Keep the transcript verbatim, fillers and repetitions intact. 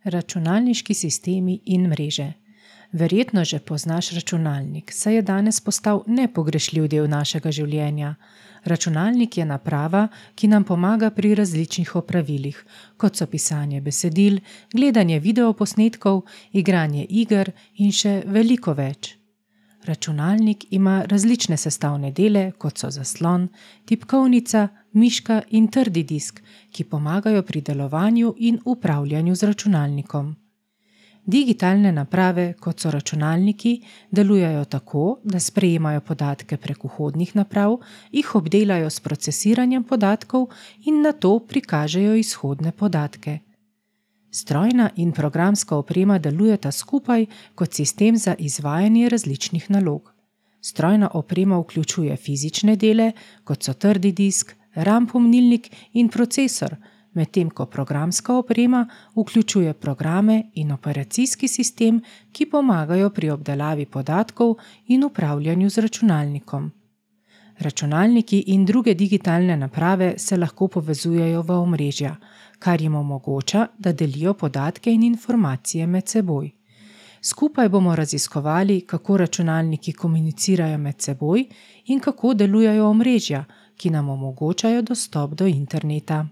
Računalniški sistemi in mreže. Verjetno že poznaš računalnik, saj je danes postal nepogrešljiv del našega življenja. Računalnik je naprava, ki nam pomaga pri različnih opravilih, kot so pisanje besedil, gledanje videoposnetkov, igranje iger in še veliko več. Računalnik ima različne sestavne dele, kot so zaslon, tipkovnica, miška in trdi disk, ki pomagajo pri delovanju in upravljanju z računalnikom. Digitalne naprave, kot so računalniki, delujejo tako, da sprejemajo podatke prek vhodnih naprav, jih obdelajo s procesiranjem podatkov in nato prikažejo izhodne podatke. Strojna in programska oprema delujeta skupaj kot sistem za izvajanje različnih nalog. Strojna oprema vključuje fizične dele, kot so trdi disk, RAM pomnilnik in procesor, medtem ko programska oprema vključuje programe in operacijski sistem, ki pomagajo pri obdelavi podatkov in upravljanju z računalnikom. Računalniki in druge digitalne naprave se lahko povezujejo v omrežja, kar jim omogoča, da delijo podatke in informacije med seboj. Skupaj bomo raziskovali, kako računalniki komunicirajo med seboj in kako delujejo omrežja, ki nam omogočajo dostop do interneta.